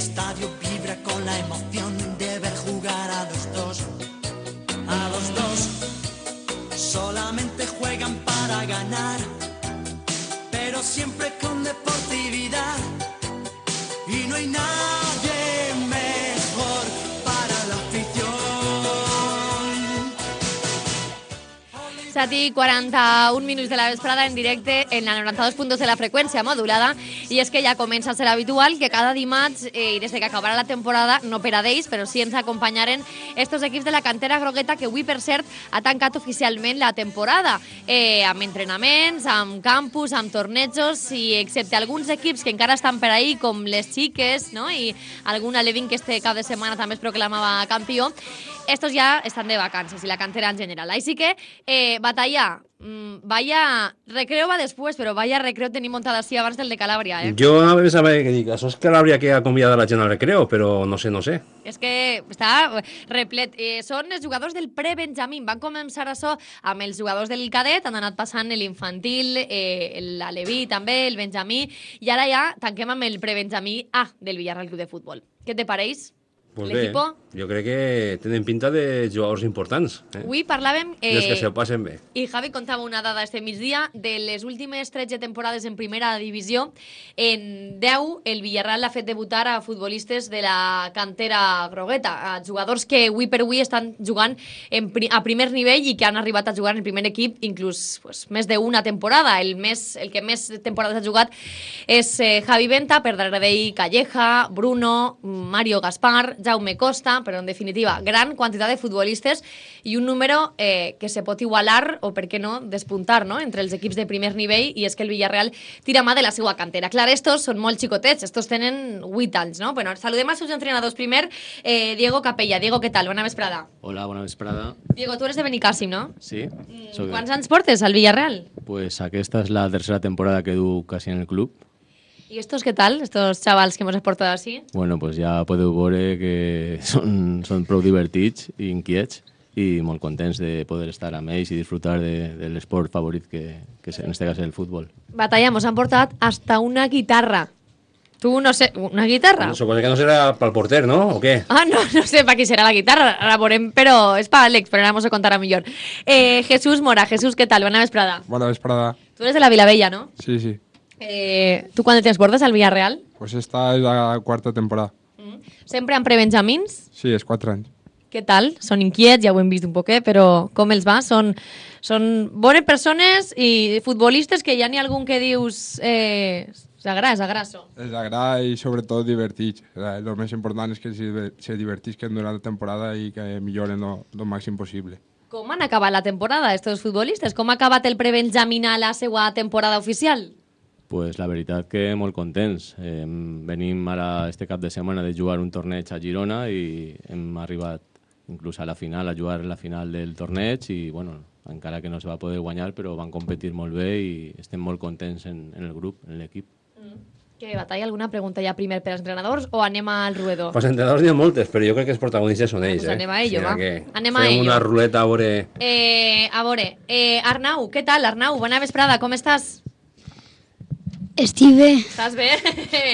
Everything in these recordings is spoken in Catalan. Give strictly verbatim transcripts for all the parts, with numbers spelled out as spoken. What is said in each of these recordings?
estadio vibra con la emoción de ver jugar a los dos. A los dos solamente juegan para ganar, pero siempre con deportividad. Y no hay nadie mejor para la afición. set i quaranta-un minuts de la vesprada en directe en la noranta-dos punt dos de la freqüència modulada, i és que ja comença a ser habitual que cada dimarts, eh, i des que acabarà la temporada, no per a d'ells, però sí ens acompanyaren estos equips de la cantera grogueta, que avui, per cert, ha tancat oficialment la temporada, eh, amb entrenaments, amb campus, amb tornejos, i excepte alguns equips que encara estan per ahí, com les xiques, no? I algun alevín que este cap de setmana també es proclamava campió, estos ja estan de vacances, i la cantera en general. Així que, eh, batalla, mmm, vaya recreo va després, però vaya recreo tenim muntat així abans del de Calàbria, eh? Jo a veure saber què dic, això és Calàbria que ha convidat la gent al recreo, però no sé, no sé. És que està replet. Eh, són els jugadors del pre-Benjamín. Van començar això amb els jugadors del cadet, han anat passant l'infantil, eh, l'aleví també, el Benjamí, i ara ja tanquem amb el pre-Benjamí A del Villarreal Club de Futbol. Què te pareix? Pues bé, jo crec que tenen pinta de jugadors importants. Eh? Avui parlàvem... Eh, dels que se ho passen bé. I Javi contava una dada este migdia de les últimes tretze temporades en primera divisió. En deu, el Villarreal ha fet debutar a futbolistes de la cantera grogueta, a jugadors que avui per avui estan jugant en pri a primer nivell i que han arribat a jugar en el primer equip inclús pues, més d'una temporada. El, més, el que més temporades ha jugat és eh, Javi Venta, per darrere d'ell Calleja, Bruno, Mario Gaspar, Jaume Costa, però en definitiva, gran quantitat de futbolistes i un número eh, que se pot igualar o, per què no, despuntar, no?, entre els equips de primer nivell, i és que el Villarreal tira mà de la seva cantera. Clar, estos són molt xicotets, estos tenen vuit anys, no? Bueno, saludem als seus entrenadors primer. Eh, Diego Capella. Diego, què tal? Bona vesprada. Hola, bona vesprada. Diego, tu eres de Benicàssim, no? Sí. Mm, quants anys portes al Villarreal? Pues aquesta és la tercera temporada que du casi en el club. ¿Y estos qué tal? Estos chavals que hemos portado así? Bueno, pues ja podeu veure que són, són prou divertits i inquiets i molt contents de poder estar amb ells i disfrutar de, de l'esport favorit que, que en este cas és el futbol. Batalla, mos han portat hasta una guitarra. Tu, no sé, una guitarra? No, suposo que no serà pel porter, no? O què? Ah, no, no sé per qui serà la guitarra, ara veurem, però és per Àlex, però ara mos ho contarà millor. Eh, Jesús Mora. Jesús, què tal? Bona vesprada. Bona vesprada. Tu eres de la Vilavella, ¿no? Sí, sí. Eh, ¿Tú cuándo tienes portes al Villarreal? Pues esta es la cuarta temporada. Mm. Sempre amb prebenjamins? Sí, és quatre anys. Què tal? Són inquiets, ja ho hem vist un poquet, però com els va? Són, són bones persones i futbolistes que ja n'hi ha algun que dius... Eh, s'agrada, s'agrasso. Els agrada i sobretot divertits. El més important és que se divertisquen durant la temporada i que milloren el màxim possible. Com han acabat la temporada, estos futbolistes? Com ha acabat el prebenjamín a la seva temporada oficial? Pues la veritat que molt contents. Eh, venim ara este cap de setmana de jugar un torneig a Girona i hem arribat inclús a la final, a jugar la final del torneig i bueno, encara que no se va poder guanyar, però van competir molt bé i estem molt contents en, en el grup, en l'equip. Mm. Què, Batalla, alguna pregunta ja primer per als entrenadors o anem al ruedo? Pues entrenadors n'hi ha moltes, però jo crec que els protagonistes són ells. Pues anem a ello, eh? va. Que anem a fem ello. una ruleta a veure... Eh, a veure, eh, Arnau, què tal, Arnau? Bona vesprada, com estàs? Estic bé. Estàs bé?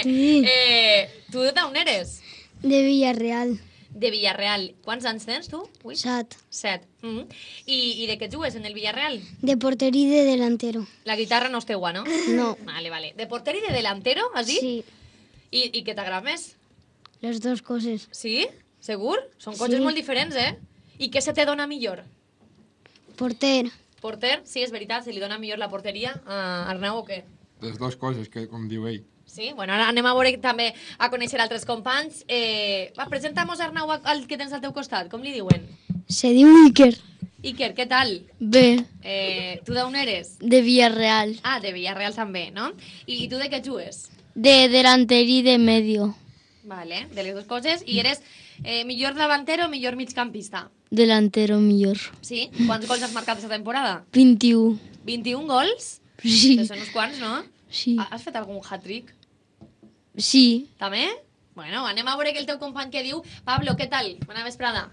Sí. Eh, tu d'on eres? De Villarreal. De Villarreal. Quants anys tens, tu? Ui. Set. Set. Mm -hmm. I, I de què jugues en el Villarreal? De porter y de delantero. La guitarra no és teua, no? No. Vale, vale. De porter y de delantero, has dit? Sí. I, i què t'agrada més? Les dues coses. Sí? Segur? Són coses Sí. molt diferents, eh? I què se te dona millor? Porter. Porter? Sí, és veritat, se li dona millor la porteria a Arnau o què? Les dues coses, que com diu ell. Sí, bueno, ara anem a veure també a conèixer altres companys. Eh, va, presenta'mos Arnau al que tens al teu costat, com li diuen? Se diu Iker. Iker, què tal? Bé. Eh, tu d'on eres? De Villarreal. Ah, de Villarreal també, no? I, i tu de què jugues? De delanter y de medio. Vale, de les dues coses. I eres eh, millor davantero o millor migcampista? Delantero millor. Sí? Quants gols has marcat aquesta temporada? vint-i-u. vint-i-un gols? Sí. Que són uns quants, no? Sí. Has fet algun hat-trick? Sí. També? Bueno, anem a veure que el teu company que diu. Pablo, què tal? Bona vesprada.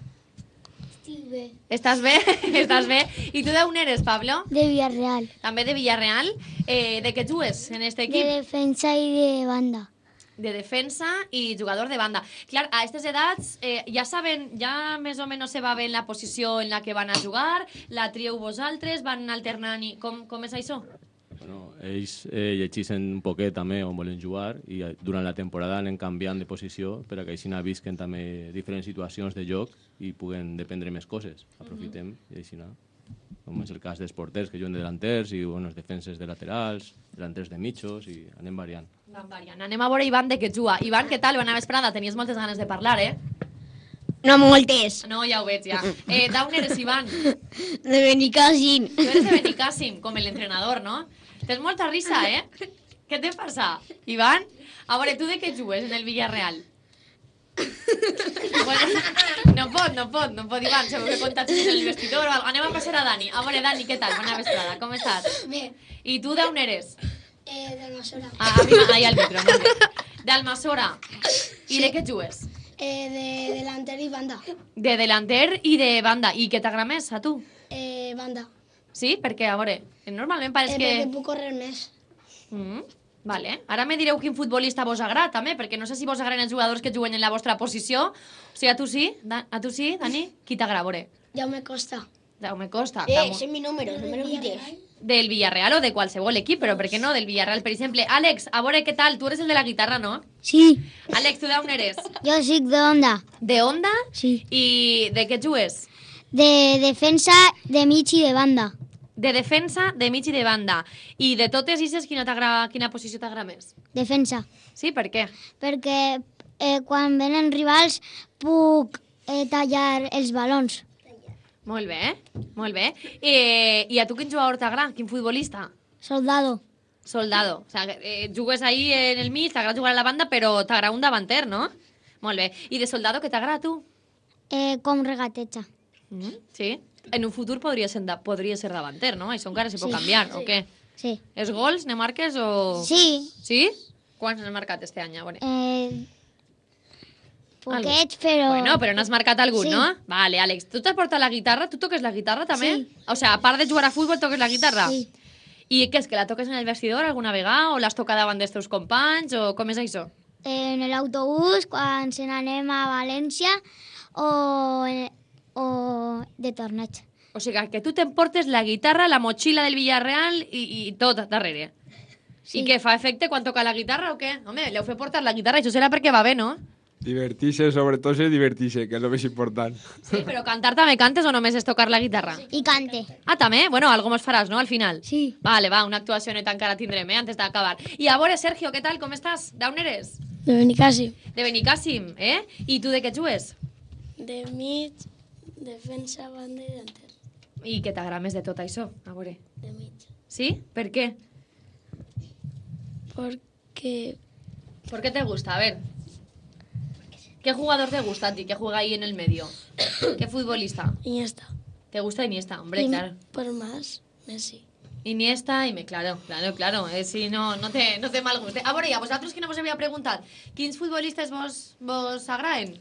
Estic bé. Estàs bé? Estàs bé? I tu d'on eres, Pablo? De Villarreal. També de Villarreal. Eh, de què jugues en este De equip? defensa y de banda. de defensa i jugador de banda. Clar, a aquestes edats eh, ja saben, ja més o menys se va bé la posició en la que van a jugar, la trieu vosaltres, van alternant i... Com, com és això? Bueno, ells eh, llegeixen un poquet també on volen jugar i eh, durant la temporada anem canviant de posició per a que així visquen també diferents situacions de joc i puguen dependre més coses. Aprofitem mm-hmm. i així, com és el cas dels porters que juguen de delanters i bueno, defenses de laterals, delanters de mitjos i anem variant. Van variant. Anem a veure Ivan de què juga. Ivan, què tal? Bona vesprada. Tenies moltes ganes de parlar, eh? No moltes. No, ja ho veig, ja. Eh, D'on eres, Ivan? De Benicàssim. Tu eres de Benicàssim, com l'entrenador, no? Tens molta risa, eh? Què te passa, Ivan? A veure, tu de què jugues en el Villarreal? Bueno, no pot, no pot, no pot, Ivan. Segur que contats en el vestidor o algo. Anem a passar a Dani. A veure, Dani, què tal? Bona vesprada. Com estàs? Bé. I tu d'on eres? Eh, d'Almassora. Ah, arriba, ahí al micro, molt bé. D'Almassora. I de què jugues? Eh, de delanter i banda. De delanter i de banda. I què t'agrada més, a tu? Eh, banda. Sí? Perquè, a veure, normalment pareix Eh, que... perquè puc córrer més. Mm, vale. Ara me direu quin futbolista vos agrada, també, perquè no sé si vos agraden els jugadors que juguen en la vostra posició. O sigui, a tu sí? Da a tu sí, Dani? Qui t'agrada, a veure? Jaume Costa. Jaume Costa. Eh, Damu- ese es mi número, no me lo quites. Del Villarreal o de qualsevol equip, però per què no del Villarreal, per exemple? Àlex, a veure què tal? Tu eres el de la guitarra, no? Sí, Àlex, tu d'on eres? yo soy de onda. De Onda? Sí. I de què jugues? De defensa, de mig y de banda. De defensa, de mig i de banda. I de totes aquestes, quina, quina posició t'agrada més? Defensa. Sí, per què? Perquè eh, quan venen rivals puc eh, tallar els balons. Molt bé, molt bé. Eh, I a tu quin jugador t'agrada? Quin futbolista? Soldado. Soldado. O sigui, eh, jugues ahí en el mig, t'agrada jugar a la banda, però t'agrada un davanter, no? Molt bé. I de soldado, què t'agrada a tu? Eh, com regateja. Mm, sí. En un futur podria ser, da podria ser davanter, no? Això encara se pot Sí. canviar, o què? Sí. Els gols ne marques o...? Sí. Sí? Quants n'has marcat este any? A veure. Eh, poquets, però... Bueno, però n'has marcat algun, Sí. no? Vale, Àlex, tu t'has portat la guitarra? Tu toques la guitarra també? Sí. O sigui, a part de jugar a futbol, toques la guitarra? Sí. I què és, que la toques en el vestidor alguna vegada? O l'has tocat davant dels teus companys? O com és això? En l'autobús, quan se n'anem a València, o, o de torneig. O sigui, que tu t'emportes la guitarra, la motxilla del Villarreal i, i tot darrere. Sí. I què, fa efecte quan toca la guitarra o què? Home, l'heu fet portar la guitarra, això serà perquè va bé, no? Divertir-se, sobretot, és divertir-se, que és el més important. Sí, però cantar també cantes o només és tocar la guitarra? I cante. Ah, també? Bueno, algo mos faràs, no?, al final. Sí. Vale, va, una actuació neta encara tindrem, eh, antes d'acabar. I a veure, Sergio, què tal, com estàs? D'on eres? De Benicàssim. De Benicàssim, eh? I tu de què jugues? De mig, defensa, banda i delanter. I què t'agrada més de tot això? A veure. De mig. Sí? Per què? Porque ¿Por qué te gusta? A ver. ¿Qué jugador te gusta a ti que juega ahí en el medio? ¿Qué futbolista? Iniesta. ¿Te gusta Iniesta? Hombre, Y claro. por más, Messi. Iniesta y me... Claro, claro, claro. Eh, si no, no te, no te mal guste. A veure, i a vosaltres que no vos havia preguntat, quins futbolistes vos, vos agraden?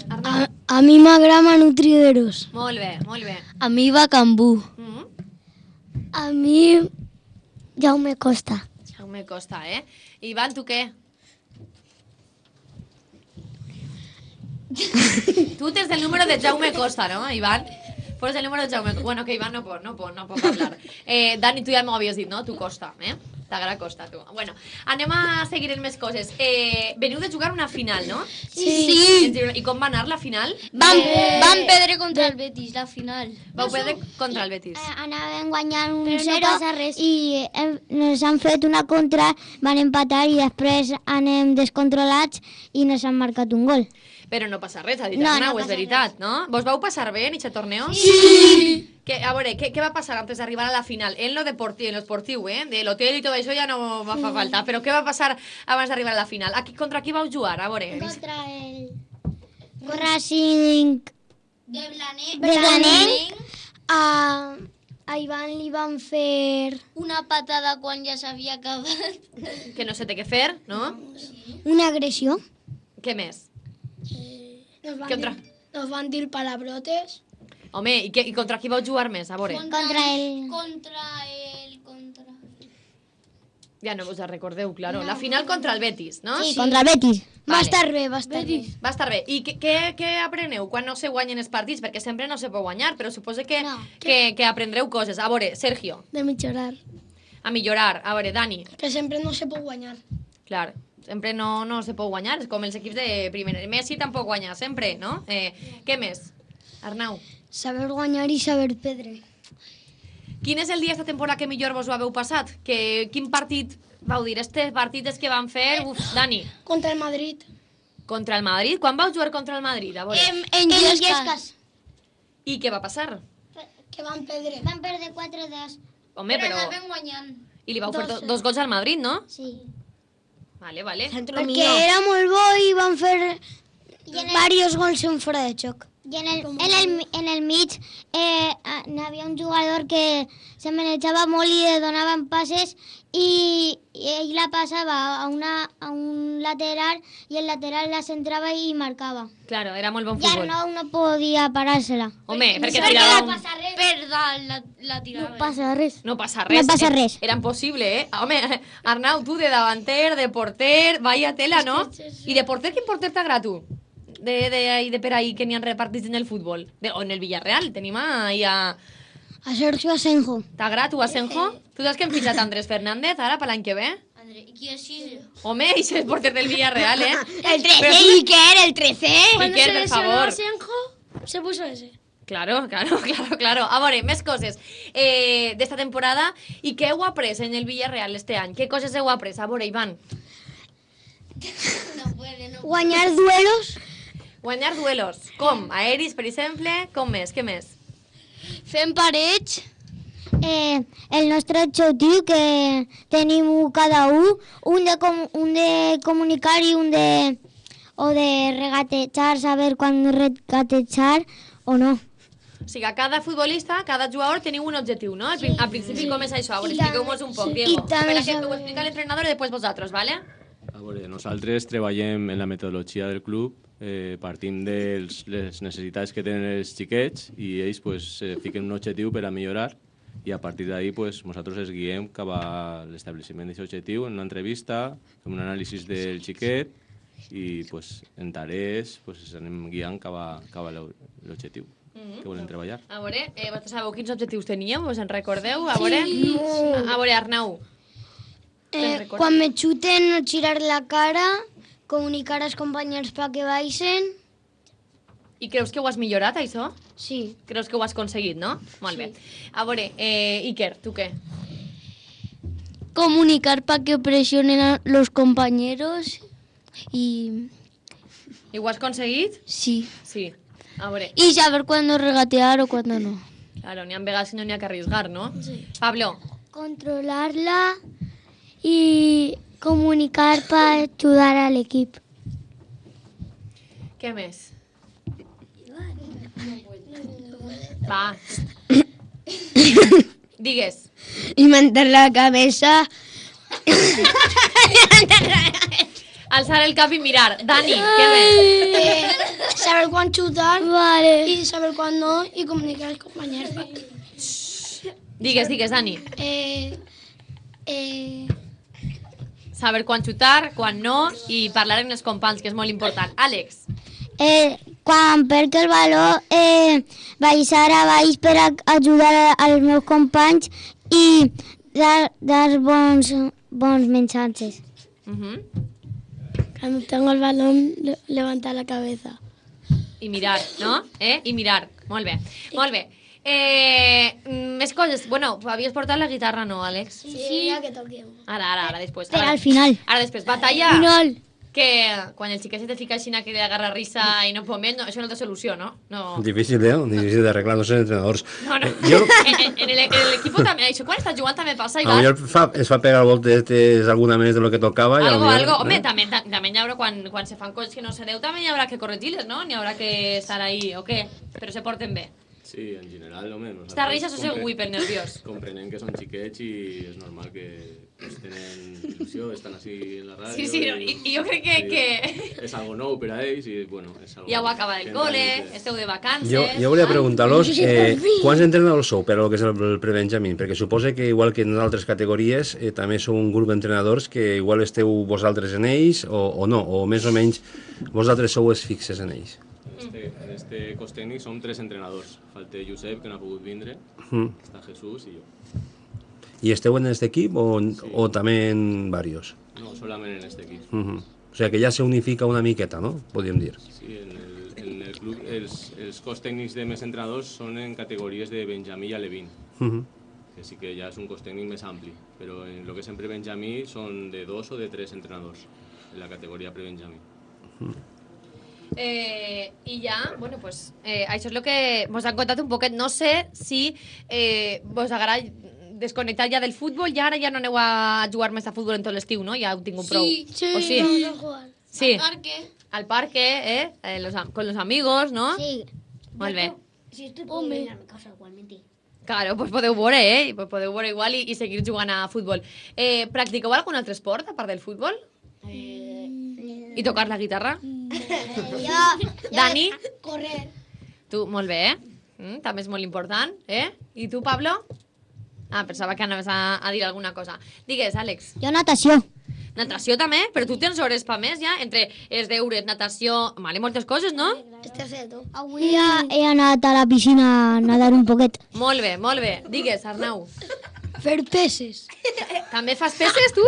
A, a mi m'agrada Manu Trigueros. Molt bé, molt bé. A mi Bacambú. Mm -hmm. A mi Jaume Costa. Jaume Costa, eh? Ivan, tu què? Tu tens el número de Jaume Costa, no, Ivan? Pues el número de Jaume... Bueno, que Iván no pot, no pot, no pot parlar. Eh, Dani, tu ja m'ho havies dit, no? Tu Costa, eh? T'agrada Costa, tu. Bueno, anem a seguir amb més coses. Eh, veniu de jugar una final, no? Sí. I com va anar la final? Vam, vam perdre contra el Betis, la final. Vau perdre contra el Betis. Eh, anàvem guanyant un Però no zero passa res. i hem, ens han fet una contra, van empatar i després anem descontrolats i nos han marcat un gol. Però no passa res, a dir No, no, no és passa veritat, no? Vos vau passar bé en aquest torneo? Sí! Que, a veure, què, què va passar antes d'arribar a la final? En lo deportiu, en lo esportiu, eh? De l'hotel i tot això ja no va fa falta. Però què va passar abans d'arribar a la final? Aquí, contra qui vau jugar? A veure. Contra el Racing De Blanet. de Blanet. A, a Ivan li van fer Una patada quan ja s'havia acabat. Que no sé té què fer, no? una agressió. Què més? Nos van, Què otra? dir, nos van dir palabrotes. Home, i, que, i contra qui vau jugar més? A veure. Contra el... Contra el... Contra... Ja no us recordeu, claro. La final contra el Betis, no? Sí, contra el Betis. Va Vale. estar bé, va estar bé. Va estar bé. I què, què, què apreneu quan no se guanyen els partits? Perquè sempre no se pot guanyar, però suposo que, No. que, que aprendreu coses. A veure, Sergio, De millorar. a millorar. A veure, Dani, Que sempre no se pot guanyar. clar, sempre no, no se pot guanyar, és com els equips de primera. Messi tampoc guanya sempre, no? Eh, què més? Arnau, Saber guanyar i saber perdre. quin és el dia esta temporada que millor vos ho haveu passat? Que, quin partit vau dir? Este partit és que van fer... Uf, Dani, Contra el Madrid. contra el Madrid? Quan vau jugar contra el Madrid? A veure. En, en Illescas. I què va passar? Que van perdre. Van perdre quatre dos. Home, però... guanyant. I li vau fer do, Dos. dos gols al Madrid, no? Sí. Vale, vale. Perquè era molt bo i van fer varios gols en fora de xoc. I en el, en el, en el mig eh, n'hi havia un jugador que se manejava molt i li donaven passes i, i ell la passava a, una, a un lateral i el lateral la centrava i marcava. Claro, era molt bon I futbol. Arnau no podia parar-se-la. Home, perquè Perquè tirava no un... passa res. Per dalt la, la No passa res. No passa res. No passa eh? res. Era impossible, eh? Home, Arnau, tu de davanter, de porter, vaya tela, no? I de porter, quin porter t'agrada tu? De, de, ahí, de per ahí que n'hi ha repartits en el futbol. De, o en el Villarreal, tenim ahí a... A Sergio Asenjo. T'agrada tu, Asenjo? Tu saps que hem fitxat Andrés Fernández ara per l'any que ve? André, ¿y quién es? Home, i és el porter del Villarreal, eh? El Però trece, tu- Iker, el trece. Iker, per favor. Asenjo, se puso ese. Claro, claro, claro, claro. A veure, més coses eh, d'esta temporada. I què heu après en el Villarreal este any? Què coses heu après? A veure, Ivan. Guanyar duelos, Guanyar duelos. Com? Aeris, per exemple? Com més? Què més? fent parets, Eh, el nostre objectiu que tenim un cada un, un de, com, un de comunicar i un de, o de regatejar, saber quan regatejar o no. O sigui, a cada futbolista, cada jugador teniu un objectiu, no? Al, prin al principi, com és això? A veure, expliqueu-nos un poc, Diego. I també Espera que saber- ho explica l'entrenador i després vosaltres, ¿vale? A veure, nosaltres treballem en la metodologia del club, eh, partim de les necessitats que tenen els xiquets i ells pues, eh, fiquen un objectiu per a millorar i a partir d'ahí pues, nosaltres els guiem cap a l'establiment d'aquest objectiu en una entrevista, fem un anàlisi del xiquet i pues, en tarees pues, ens anem guiant cap a, cap a l'objectiu que volen treballar. A veure, eh, vosaltres sabeu quins objectius teníeu? Us en recordeu? A veure, a, a veure, Arnau. Te'n eh, recordes? quan me xuten, no girar la cara, comunicar als companys perquè baixen. I creus que ho has millorat, això? Sí. Creus que ho has aconseguit, no? Molt bé. A veure, eh, Iker, tu què? Comunicar para que presionen a los compañeros y I ho has aconseguit? sí. Sí. A veure, Y saber cuándo regatear o cuándo no. claro, n'hi ha vegades que no n'hi ha que arriesgar, no? Sí. Pablo, Controlarla y comunicar para ayudar al equipo. què més? Va. Digues. Y mantener la cabeza. Alçar el cap i mirar. Dani, què més? Eh, saber cuándo chutar Vale. y saber cuándo no y comunicar a los compañeros. Digues, digues, Dani. Eh, eh, Saber quan xutar, quan no, i parlar amb els companys, que és molt important. Àlex, Eh, quan perc el valor, eh, baixar a baix per a ajudar a- als meus companys i dar, dar bons, bons missatges. uh -huh. cuando tengo el balón, le- levantar la cabeza. i mirar, no? Eh? I mirar. Molt bé, molt bé. Eh, mm, més coses. Bueno, havies portat la guitarra, no, Àlex? Sí, ya que toquemos. Ara, ara, ara, després. Però Ara, al final. Ara després, batalla. Final. Que quan el xiquet se te fica així que li agarra risa i no pot més, no, això no té solució, no? No, Difícil, eh? Difícil d'arreglar, no sé, entrenadors. no. no. Jo, En, en el- en l'equip també, això quan estàs jugant també passa, a lo Ivan. millor fa, es fa pegar voltes alguna més de lo que tocava. i a lo Algo, millor, algo. Home, eh? també, ta- també hi haurà, quan, quan se fan coses que no se deu, també hi haurà que corregir-les, no? N'hi haurà que estar ahí, o què? Però se porten bé. Sí, en general, home. Esta risa sos el whipper nerviós. Comprenem que són xiquets i és normal que pues, tenen il·lusió, estan així en la ràdio. Sí, sí, no, i, i jo crec que, Sí. que és algo nou per a ells i, bueno, és algo... Ja ho acaba del col·le, esteu de vacances... Jo, jo volia preguntar-los eh, quants entrenadors sou per a lo que és el, el prebenjamí, perquè suposo que igual que en altres categories eh, també sou un grup d'entrenadors que igual esteu vosaltres en ells o, o no, o més o menys vosaltres sou els fixes en ells. En este, en este cos tècnic som tres entrenadors. Falta Josep, que no ha pogut vindre, Mm. està Jesús i jo. I esteu en aquest equip o, Sí. o també en varios? No, solament en este equip. Uh -huh. O sigui que ja se unifica una miqueta, no? Podríem dir. Sí, en el, en el club els, els cos tècnics de més entrenadors són en categories de Benjamí i Alevín, Uh -huh. que sí que ja és un cos tècnic més ampli, però en el que sempre Benjamí són de dos o de tres entrenadors en la categoria pre-Benjamí. Eh, I ja, bueno, pues, eh, això és el que vos han contat un poquet. No sé si eh, vos agrada desconnectar ja del futbol i ara ja no aneu a jugar més a futbol en tot l'estiu, no? Ja heu tingut prou. Sí, sí, ¿O sí? vamos a jugar. Sí. Al parque. Al parque, ¿eh? Eh, los am- con los amigos, no? Sí. Molt bé. Si estoy Home. venir a mi casa igualmente. Claro, pues podeu veure, eh? Pues podeu veure igual i, i seguir jugant a futbol. Eh, practiqueu algun altre esport, a part del futbol? I tocar la guitarra? Yo, Dani? Correr. Tu, molt bé, eh? Mm, també és molt important, eh? I tu, Pablo? Ah, pensava que anaves a, a dir alguna cosa. Digues, Àlex. yo natación. Natació també? Però tu tens hores pa més ja? Entre els deures, natació... Vale, moltes coses, no? Este haciendo. Avui he, he anat a la piscina a nadar un poquet. Molt bé, molt bé. Digues, Arnau. Fer peces. També fas peces, tu?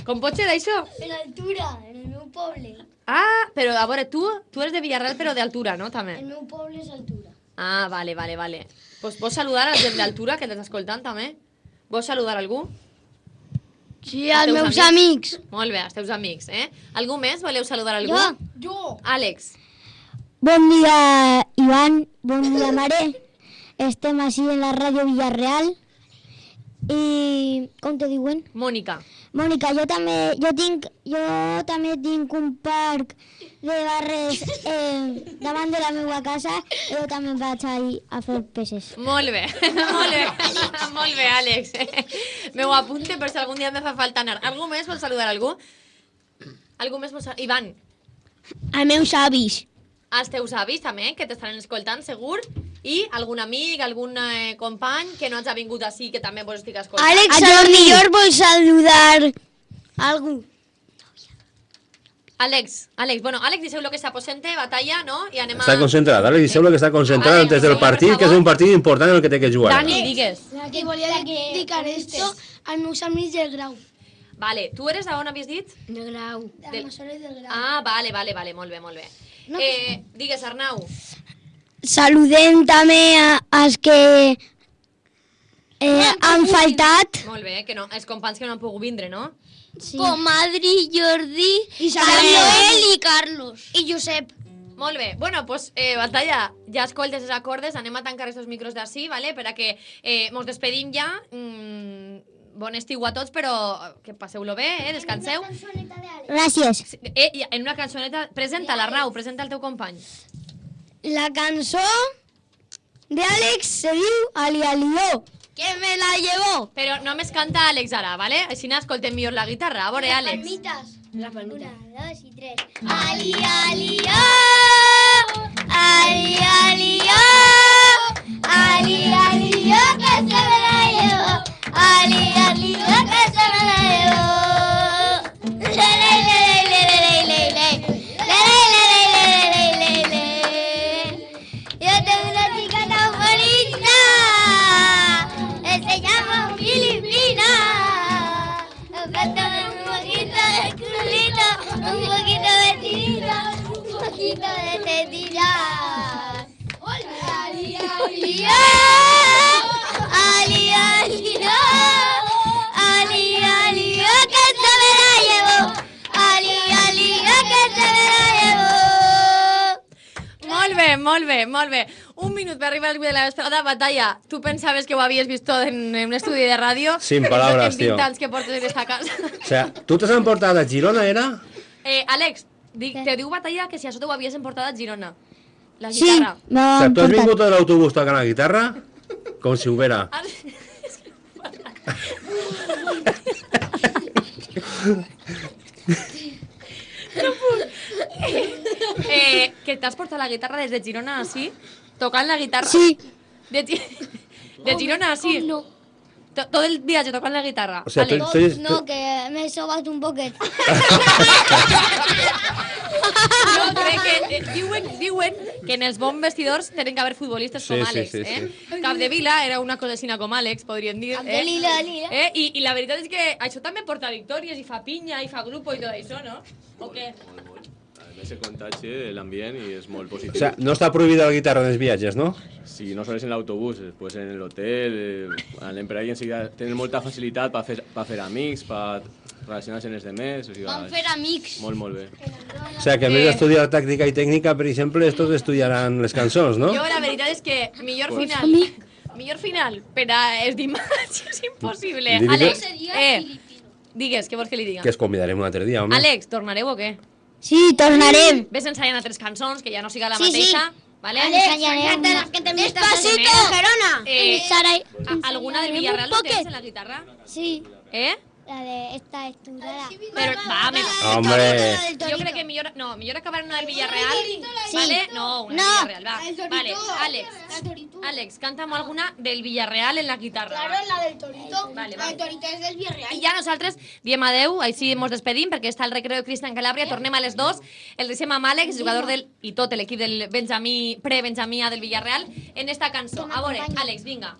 Com pot ser d'això? En altura, en el meu poble. Ah, però a veure, tu, tu eres de Villarreal però d'altura, no? També. El meu poble és altura. Ah, vale, vale, vale. Pues vols saludar a la gent d'altura que t'està escoltant, també? Vols saludar algú? Sí, Els als teus meus amics. Molt bé, els teus amics, eh? Algú més? Voleu saludar algú? Jo. Jo. Àlex. Bon dia, Iván. Bon dia, Mare. Estem així en la ràdio Villarreal. I com te diuen? Mònica. Mònica, jo també, jo tinc, jo també tinc un parc de barres eh, davant de la meva casa i jo també vaig ahí a fer peces. Molt bé, molt bé, molt bé, Àlex. Me ho apunte per si algun dia me fa falta anar. Algú més vol saludar algú? Algú més vol saludar? Ivan, Els meus avis. els teus avis també, que t'estaran escoltant, segur? I algun amic, algun eh, company que no hagi vingut així, que també vos estic escoltant? Àlex, a lo millor vol saludar algú. Àlex, Àlex, bueno, Àlex, deixeu lo que s'aposente, batalla, no? I anem a... Està concentrat, ara li sembla que està concentrat Vale, antes del sí, per partit, que és favor. un partit important en el que té que jugar. Dani, digues. I volia dedicar esto als meus amics del grau. Vale, tu eres d'on havies dit? Del grau. Del- Del Massoret del grau. Ah, vale, vale, vale, molt bé, molt bé. Eh, digues, Arnau. Saludem també a, als que eh, han faltat. Molt bé, que no, els companys que no han pogut vindre, no? Sí. Com Adri, Jordi, Samuel i Carlos. I Josep. Molt bé. Bueno, pues, eh, Batalla, ja escoltes els acordes, anem a tancar aquests micros d'ací, vale? Per a que eh, mos despedim ja. Mm, bon estiu a tots, però que passeu-lo bé, eh? Descanseu. Gràcies. Sí, Eh, i en una cançoneta, presenta l'Arnau, presenta el teu company. La cançó de Àlex se diu Ali Alió. Que me la llevó. Però només canta Àlex ara, vale? Així n'escoltem millor la guitarra. A veure, Àlex. Palmitas. Una, dos y tres. Ali Alió. Ali Alió. Ali Alió que se me la llevó. Ali Alió que se me la llevó. Le, le, le, le, le, le, le, le. Le, le, le, le, le, le, le, le. Yo tengo una chica tan bonita. Se llama Filipina. Nos falta un poquito de culito, un poquito de tirita, un poquito de tetilla. Ali, ali, ali, ali, ali, ali, que se me la llevó. Ali, ali, que se me la llevó. Molt bé, molt bé, molt bé. Un minut per arribar al de la vesprada. Batalla, tu pensaves que ho havies vist tot en, en un estudi de ràdio? Sin palabras, en vint tío. anys que portes en esta casa. O sea, tu t'has emportat a Girona, era? Eh, Àlex, dic, te diu Batalla que si això t'ho havies emportat a Girona. La Sí, guitarra. me O va sea, tu has importar. vingut de l'autobús tocant la guitarra com si ho vera. Ah, que t'has portat la guitarra des de Girona así, tocant la guitarra. Sí. De, de Girona así. Com no? To- Todo el viatge tocant la guitarra. O sea, Àlex. tu- tu eres- No, que m'he sobat un poquet. Jo crec que eh, diuen, diuen que en els bons vestidors tenen que haver futbolistes Sí, com sí, Àlex. sí, eh? sí. Capdevila era una cosina com Àlex, podríem dir. Cap de lila, lila. Eh? I, I la veritat és que això també porta victòries i fa pinya i fa grupo i tot això, no? O què? A més, se contagia l'ambient i és molt positiu. O sea, no està prohibida la guitarra en els viatges, no? Si no sols en l'autobús, després en l'hotel, eh, anem per ahí enseguida, tenen molta facilitat per fer, per fer amics, per relacionar-se amb els demés, o sigui, Vam fer amics. molt, molt bé. O sea, que a més Eh. d'estudiar tàctica i tècnica, per exemple, estos estudiaran les cançons, no? Jo la veritat és que millor Pues- final... Millor final per a els dimarts és impossible. Li dic- Àlex, eh, digues, què vols que li diga? Que es convidarem un altre dia, home. Àlex, tornareu o què? Sí, tornarem. Ves ensaiant altres cançons, que ja no siga la Sí, sí. mateixa. Vale? Ensayarem. Despacito, Gerona. Eh, Sara, ¿a- ¿Alguna del Villarreal no tienes en la guitarra? Sí, ¿Eh? la de esta estudiada. Pero, va, me... Hombre, Yo creo que millor, no, millor acabar en una del Villarreal, Sí. ¿vale? No, una No. del Villarreal, va. Vale, Alex, Alex, cántame alguna del Villarreal en la guitarra. va. la del Torito. Vale, La va. del Torito és del Villarreal. I ja nosaltres diem adeu, així ens despedim, perquè està el recreo de Cristian Calabria, tornem a les dos, el deixem amb Àlex, jugador del, i tot l'equip del Benjamí, pre-Benjamí A del Villarreal, en esta cançó. A veure, Àlex, vinga.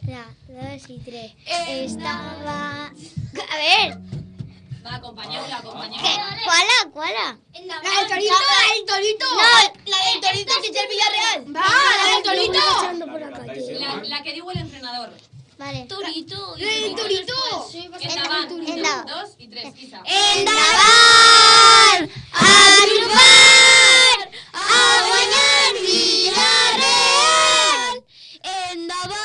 La, dos y tres. Estaba... A ver, Va, acompanyeu-la, acompanyeu-la. ¿qué? ¿Cuál? ¿Cuál? La del Torito, la del Torito. No, la del Torito que es del Villarreal. Va, la del Torito. La, la que diu l'entrenador. Vale. Torito. La del Torito. Endavant, un, Endavant. dos i tres, Isa. Endavant! A triomfar! A guanyar Villarreal! Endavant!